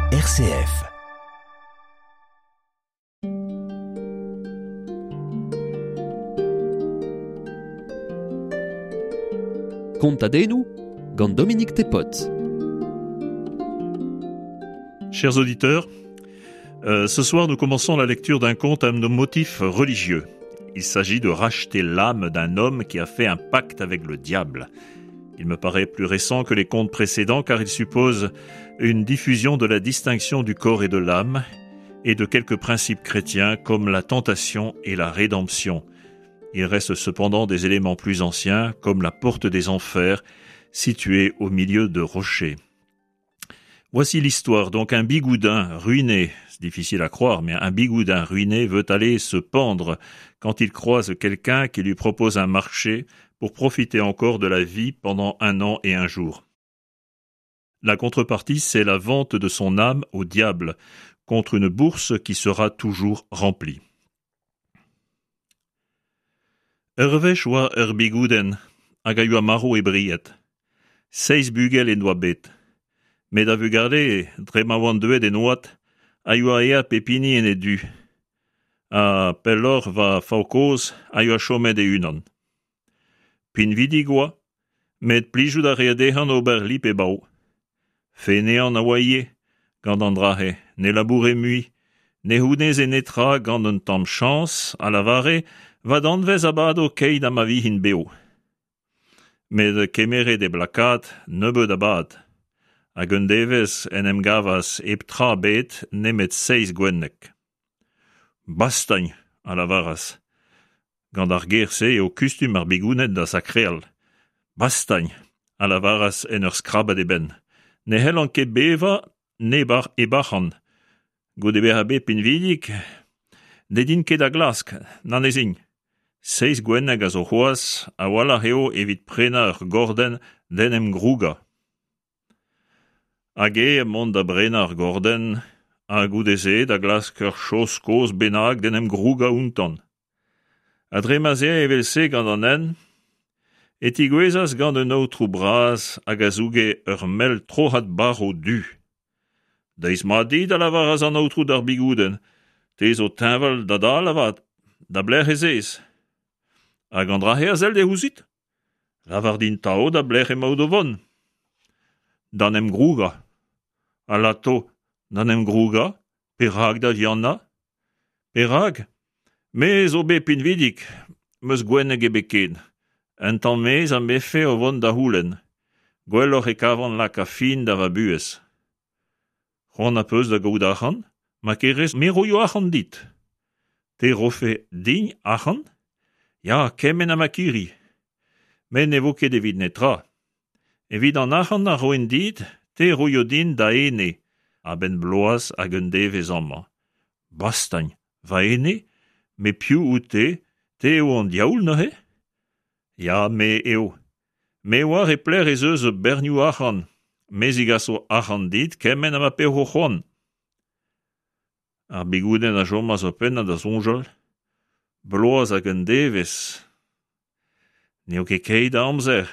RCF. Kontadennoù gant Dominique Tepot. Chers auditeurs, euh, ce soir nous commençons la lecture d'un conte à nos motifs religieux. Il s'agit de racheter l'âme d'un homme qui a fait un pacte avec le diable. Il me paraît plus récent que les contes précédents car il suppose une diffusion de la distinction du corps et de l'âme et de quelques principes chrétiens comme la tentation et la rédemption. Il reste cependant des éléments plus anciens comme la porte des enfers située au milieu de rochers. Voici l'histoire. Donc un bigoudin ruiné, c'est difficile à croire, mais un bigoudin ruiné veut aller se pendre quand il croise quelqu'un qui lui propose un marché pour profiter encore de la vie pendant un an et un jour. La contrepartie, c'est la vente de son âme au diable, contre une bourse qui sera toujours remplie. Ur wech oa ur bigoudenn hag a yoa marv e bried. Seizh bugel en doa bet. Met ar vugale, dre ma oant deuet en oad, a yoa aet pep hini en e du. Ha pelloc'h va faour-kozh a yoa chomet e-unan. Pinvidik oa, met plijout a rae dezhañ ober lip-e-bav. Feneant a oa ivez, gant an dra-se, ne laboure mui, ne c'houneze netra gant un tamm chañs, a lavare, va danvez a bado keit ha ma vijin bev. Met kemeret e blakad nebeut a bad. Hag un devezh en em gavas hep tra ebet nemet seizh gwenneg. Bastagn, a lavaras. Gant ar ger-se eo kustum ar bigouned da sakreal. Bastagn, a lavaras en ur skrabat e benn. Ne c'hellan ket bevañ neb hep arc'hant. Goude bezañ bet pinvidik, ne din ket da glask, na ne zin. Seizh gwenneg a zo c'hoazh, a-walc'h eo evit prenañ ur gordenn d'en em grougañ. Hag eñ mont da brenañ ur gordenn, ha goude-se da glask ur chaos kozh bennak d'en em grougañ outañ. Ha dre ma'z ae evel-se gant an hent, e tigouezas gant un aotrou bras hag a zouge ur mell troc'had barv du. Deiz mat dit, a lavaras an aotrou d'ar Bigoudenn, te zo teñval da dal avat, da belec'h ez ez? Hag an dra-se a sell dezhe ouzhit? Lavar din 'tav da belec'h emaout o vont. D'an em grougañ. Alato, d'an em grougañ, perak da vihanañ? Perak? Me zo bet pinvidik, 'm eus gwenneg ebet ken. Un tamm mezh am befe o vont da c'houlenn. Gwelloc'h e kavan lakaat fin da va buhez. C'hoant az peus da gaout arc'hant? Ma kerez, me roio arc'hant dit. Te 'rofe din arc'hant? Ya, kement ha ma kiri. Met ne vo ket evit netra. Evit an arc'hant a roin dit, te 'roio din da ene, a-benn bloaz hag un devezh amañ. Bastagn, va ene? Met piv out-te? Te eo an diaoul neuze? Ya, me eo. Me 'oar e pelec'h ez eus bernioù arc'hant. Me 'zigaso arc'hant dit kement ha ma pezo c'hoant. Ar Bigoudenn a chomas ur pennad da soñjal. Bloaz hag un devezh. N'eo ket keit a amzer.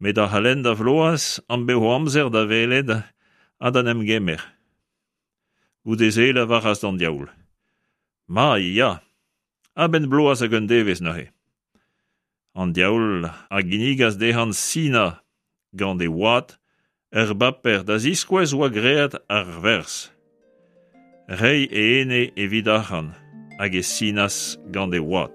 Met ac'halenn da vloaz am bezo amzer da welet ha da 'n em gemer. Goude-se e lavaras d'an diaoul. Ma ya, a-benn bloaz hag un devezh neuze. An diaoul a ginnigas dezhañ sinañ gant e wad ur baper da ziskouez oa graet ar werzh. Reiñ e ene evit arc'hant hag e sinas gant e wad.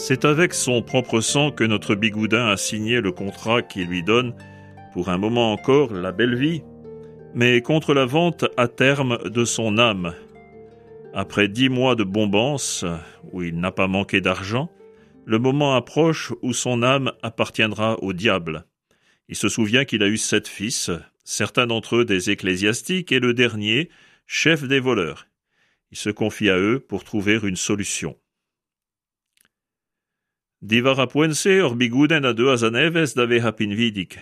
C'est avec son propre sang que notre Bigoudin a signé le contrat qui lui donne, pour un moment encore, la belle vie, mais contre la vente à terme de son âme. Après dix mois de bombance, où il n'a pas manqué d'argent, le moment approche où son âme appartiendra au diable. Il se souvient qu'il a eu sept fils, certains d'entre eux des ecclésiastiques et le dernier, chef des voleurs. Il se confie à eux pour trouver une solution. Diwar ar poent-se hor Bigoudenn a deuas a-nevez da vezañ pinvidik.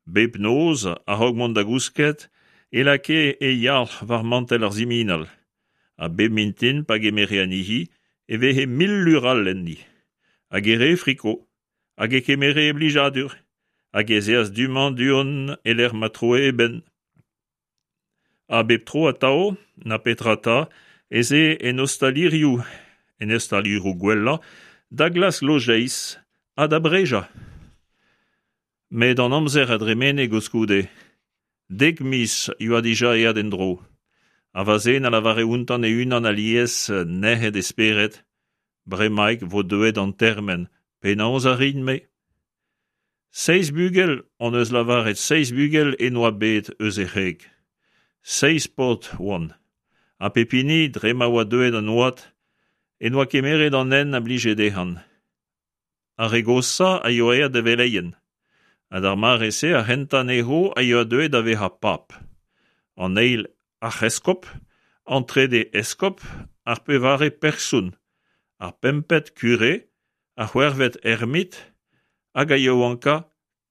Bep noz, a-raok mont da gousket, e lakae e yalc'h war mantell ar siminal. Ha bep mintin pa gemere anezhi e veze mil lur all enni. Hag e rae friko, hag e kemere e blijadur, hag ez eas du-mañ du-hont e-lec'h ma troe e benn. Ha bep tro atav, na petra 'ta, ez eo en ostalirioù, en ostalirioù gwellañ, da glask lojeiz ha da brejañ. Met an amzer a dremene koulskoude. Dek miz 'yoa dija aet en-dro. Ha va zen a lavare outañ e-unan alies, nec'het e spered, Bremaik 'vo deuet an termen, penaos a rin-me ? Seizh bugel hon eus lavaret seizh bugel en doa bet eus e wreg. Seizh paotr 'oant. Ha pep hini, dre ma oa deuet an oad, en doa kemeret an hent a blije dezhañ. Ar re goshañ a yoa aet da veleien. Ha d'ar mare-se ar c'hentañ anezho a yoa deuet da vezañ pab. An eil arc'heskob, an trede eskob, ar pevare person, ar pempet kure, ar c'hwec'hvet ermit hag a yaouankañ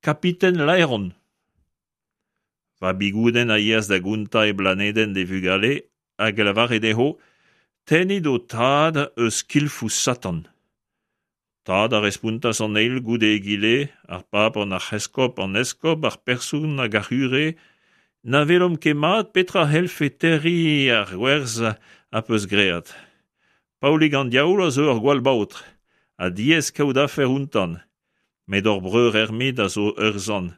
kapiten laeron. Va Bigoudenn a yeas da gontañ e blanedenn d'e vugale hag a lavare dezho tennit ho tad eus skilfoù Satan. Tad a respontas an eil goude egile, ar pab, an arc'heskob, an eskob, ar person hag ar c'hure, na welomp ket mat petra c'hellfe terriñ ar gwerzh az peus graet. Paolig an Diaoul a zo ur gwall baotr, ha diaes kaout afer outañ. Met hor breur Ermit a zo ur sant.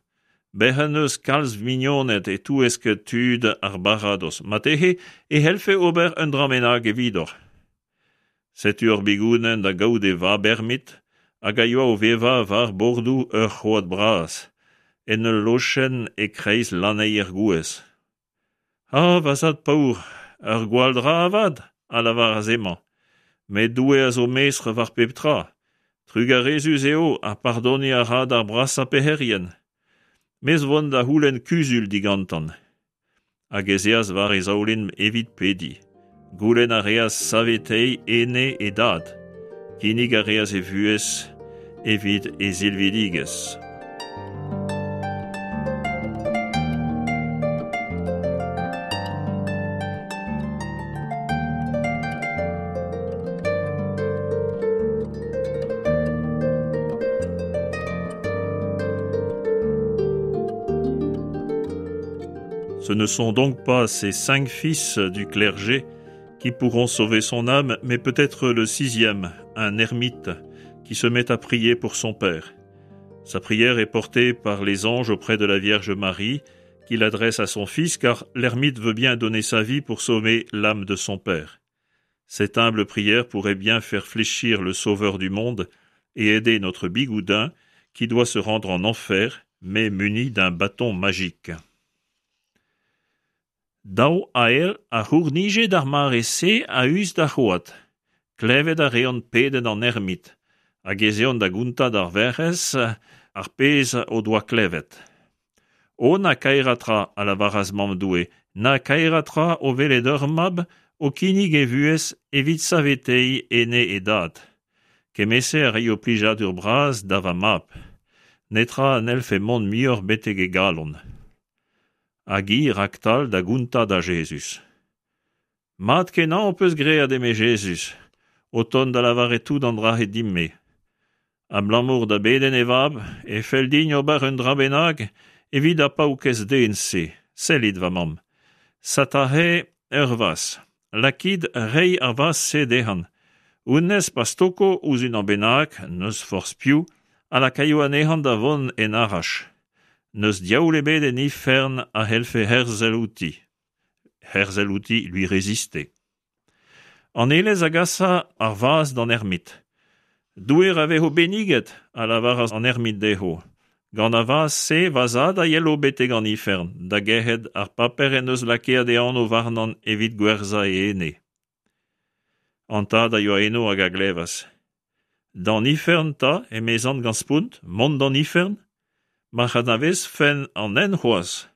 Bec'h en deus kalz mignoned e-touesk tud ar baradoz. Marteze e c'hellfe ober un dra bennak evidoc'h. Setu ur bigoudenn da gaout e vab Ermit hag a yoa o vevañ war bordoù ur c'hoad bras, en ul lochenn e-kreiz lanneier gouez. A, va zad paour, ur gwall dra avat, a lavaras hemañ. Met Doue a zo mestr war pep tra. Trugarezus eo ha pardoniñ a ra d'ar brasañ pec'herien. Me zo 'vont da c'houlenn kuzul digantañ. Hag ez eas war e zaoulin evit pediñ. Goulenn a reas saveteiñ ene e dad. Kinnig a reas e vuhez evit e silvidigezh. Ce ne sont donc pas ces cinq fils du clergé qui pourront sauver son âme, mais peut-être le sixième, un ermite, qui se met à prier pour son père. Sa prière est portée par les anges auprès de la Vierge Marie, qui l'adresse à son fils, car l'ermite veut bien donner sa vie pour sauver l'âme de son père. Cette humble prière pourrait bien faire fléchir le Sauveur du monde et aider notre bigoudin qui doit se rendre en enfer, mais muni d'un bâton magique. Daou ael a c'hournije d'ar mare-se a-us d'ar c'hoad. Klevet a reont pedenn an ermit, hag ez eont da gontañ d'ar Werc'hez ar pezh o doa klevet. O na kaerañ tra, a lavaras Mamm Doue, na kaerañ tra o welet ur mab o kinnig e vuhez evit saveteiñ ene e dad. Kement-se a raio plijadur bras da va mab. Netra n'hellfe mont muioc'h betek e galon. Hag hi raktal da gontañ da Jezuz. Mat-kenañ ho peus graet, eme Jezuz, o tont da lavaret tout an dra-se din-me. Abalamour da bedenn e vab e fell din ober un dra bennak evit ar paourkaezh den-se. Sellit, va mamm. Satahe ur vazh. Lakit reiñ ar vazh-se dezhañ. Honnezh pa stoko ouzh unan bennak, n'eus forzh piv, a lakaio anezhañ da vont en araj. N'eus diaoul ebet en ifern a c'hellfe herzel outi. Herzel outi, lui résister. An elez a gasa ar vazh d'an ermit. Doue ra vezo benniget, a lavaras an ermit dezho. Gant ar vazh-se va zad a yelo betek an ifern, da gerc'hat ar paper en deus lakaet e anv warnañ evit gwerzhañ e ene. An tad a yoa eno hag a glevas. D'an ifern 'ta, emezan gant spont, mont d'an ifern ? Ma'c'h anavezfen an hent c'hoazh.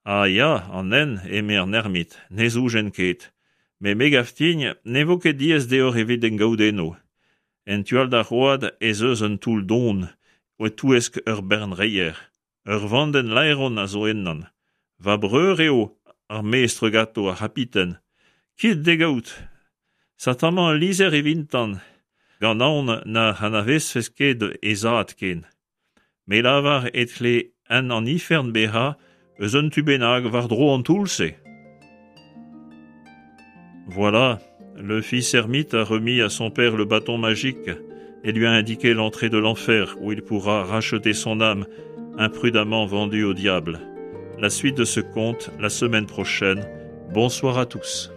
Ah ya, an hent, eme an ermit, ne zoujen ket. Met me 'gav din ne vo ket diaes deoc'h evit en gaout eno. En tu all d'ar c'hoad ez eus un toull don, e-touesk ur bern reier. Ur vandenn laeron a zo ennan. Va breur eo ar mestr ganto, ar c'hapiten. Kit d'e gaout. Setu amañ ul lizher evitan, gant aon na anavezfes ket he zad ken. Me lavar e tle hent an ifern bezañ eus un tu bennak war-dro an toull-se. Voilà, le fils ermite a remis à son père le bâton magique et lui a indiqué l'entrée de l'enfer où il pourra racheter son âme imprudemment vendue au diable. La suite de ce conte la semaine prochaine. Bonsoir à tous.